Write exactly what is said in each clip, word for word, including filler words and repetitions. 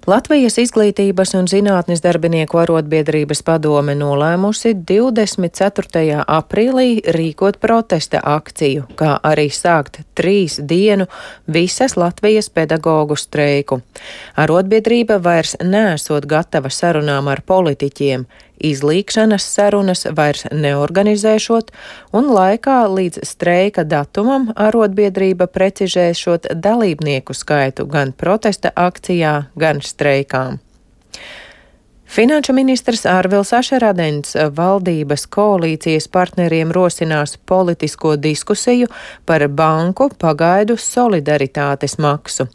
Latvijas izglītības un zinātnes darbinieku arotbiedrības padome nolēmusi divdesmit ceturtajā aprīlī rīkot protesta akciju, kā arī sākt trīs dienu visas Latvijas pedagoģu streiku. Arotbiedrība vairs neesot gatava sarunām ar politiķiem, izlīgšanas sarunas vairs neorganizēšot, un laikā līdz streika datumam arotbiedrība precizēšot dalībnieku skaitu gan protesta akcijā, gan streikām. Finanšu ministrs Ārvils Ašerādens valdības koalīcijas partneriem rosinās politisko diskusiju par banku pagaidu solidaritātes maksu.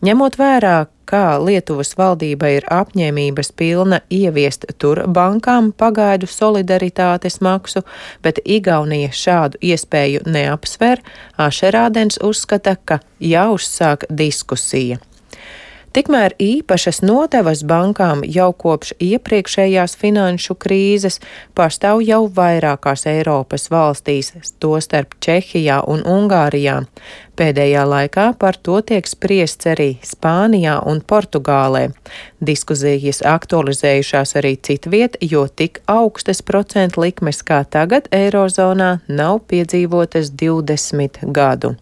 Ņemot vērā, kā Lietuvas valdība ir apņēmības pilna ieviest tur bankām pagaidu solidaritātes maksu, bet Igaunija šādu iespēju neapsver, Ašerādens uzskata, ka jāuzsāk diskusija. Tikmēr īpašas nodevas bankām jau kopš iepriekšējās finanšu krīzes pastāv jau vairākās Eiropas valstīs, tostarp Čehijā un Ungārijā. Pēdējā laikā par to tiek spriests arī Spānijā un Portugālē. Diskusijas aktualizējušās arī citviet, jo tik augstas procentu likmes kā tagad Eirozonā nav piedzīvotas divdesmit gadu.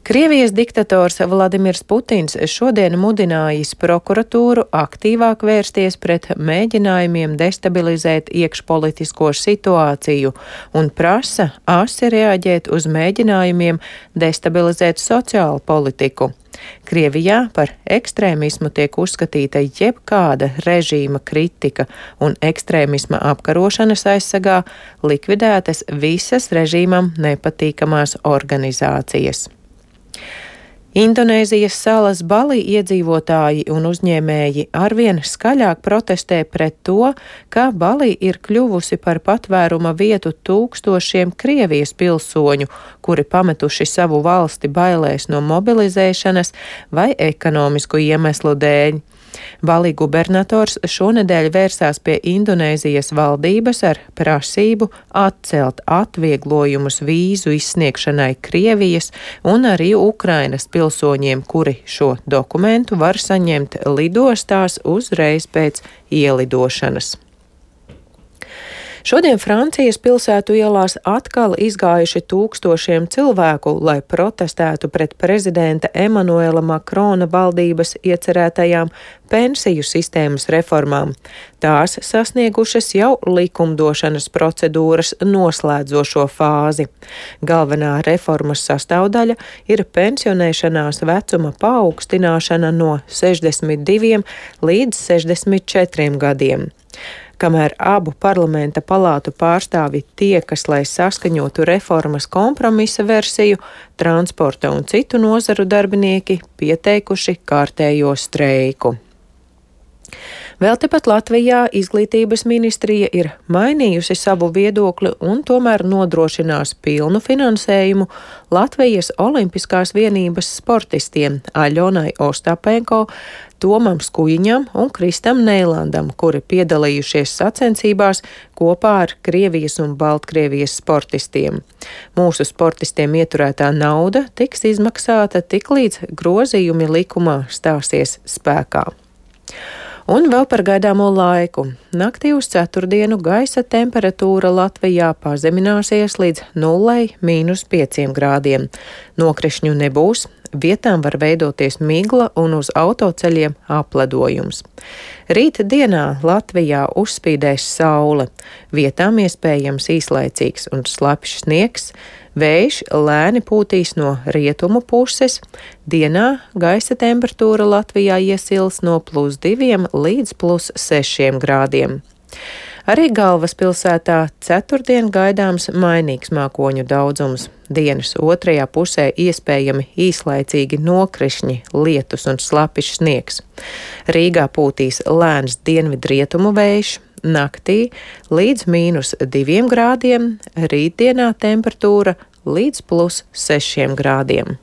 Krievijas diktators Vladimirs Putins šodien mudinājis prokuratūru aktīvāk vērsties pret mēģinājumiem destabilizēt iekšpolitisko situāciju un prasa asi reaģēt uz mēģinājumiem destabilizēt sociālu politiku. Krievijā par ekstrēmismu tiek uzskatīta jebkāda režīma kritika, un ekstrēmisma apkarošanas aizsargā likvidētas visas režīmam nepatīkamās organizācijas. Indonēzijas salas Bali iedzīvotāji un uzņēmēji arvien skaļāk protestē pret to, ka Bali ir kļuvusi par patvēruma vietu tūkstošiem Krievijas pilsoņu, kuri pametuši savu valsti bailēs no mobilizēšanas vai ekonomisku iemeslu dēļ. Bali gubernators šonedēļ vērsās pie Indonēzijas valdības ar prasību atcelt atvieglojumus vīzu izsniegšanai Krievijas un arī Ukrainas pilsoņiem, kuri šo dokumentu var saņemt lidostās uzreiz pēc ielidošanas. Šodien Francijas pilsētu ielās atkal izgājuši tūkstošiem cilvēku, lai protestētu pret prezidenta Emanuela Makrona valdības iecerētajām pensiju sistēmas reformām. Tās sasniegušas jau likumdošanas procedūras noslēdzošo fāzi. Galvenā reformas sastāvdaļa ir pensionēšanās vecuma paaugstināšana no sešdesmit diviem līdz sešdesmit četriem gadiem. Kamēr abu parlamenta palātu pārstāvi tiekas, lai saskaņotu reformas kompromisa versiju, transporta un citu nozaru darbinieki pieteikuši kārtējo streiku. Vēl tepat Latvijā izglītības ministrija ir mainījusi savu viedokli un tomēr nodrošinās pilnu finansējumu Latvijas Olimpiskās vienības sportistiem Aļonai Ostapenko, Tomam Skujiņam un Kristam Neilandam, kuri piedalījušies sacensībās kopā ar Krievijas un Baltkrievijas sportistiem. Mūsu sportistiem ieturētā nauda tiks izmaksāta tiklīdz grozījumi likumā stāsies spēkā. Un vēl par gaidāmo laiku. Naktī uz ceturtdienu gaisa temperatūra Latvijā pazemināsies līdz nulle mīnus pieciem grādiem. Nokrišņu nebūs, vietām var veidoties migla un uz autoceļiem apledojums. Rīt dienā Latvijā uzspīdēs saule, vietām iespējams īslaicīgs un slapjš sniegs, vējš lēni pūtīs no rietumu puses, dienā gaisa temperatūra Latvijā iesils no plus diviem līdz plus sešiem grādiem. Arī galvaspilsētā ceturtdien gaidāms mainīgs mākoņu daudzums. Dienas otrajā pusē iespējami īslaicīgi nokrišņi, lietus un slapjš sniegs. Rīgā pūtīs lēns dienvidrietumu vējš, naktī līdz mīnus diviem grādiem, rītdienā temperatūra līdz plus sešiem grādiem.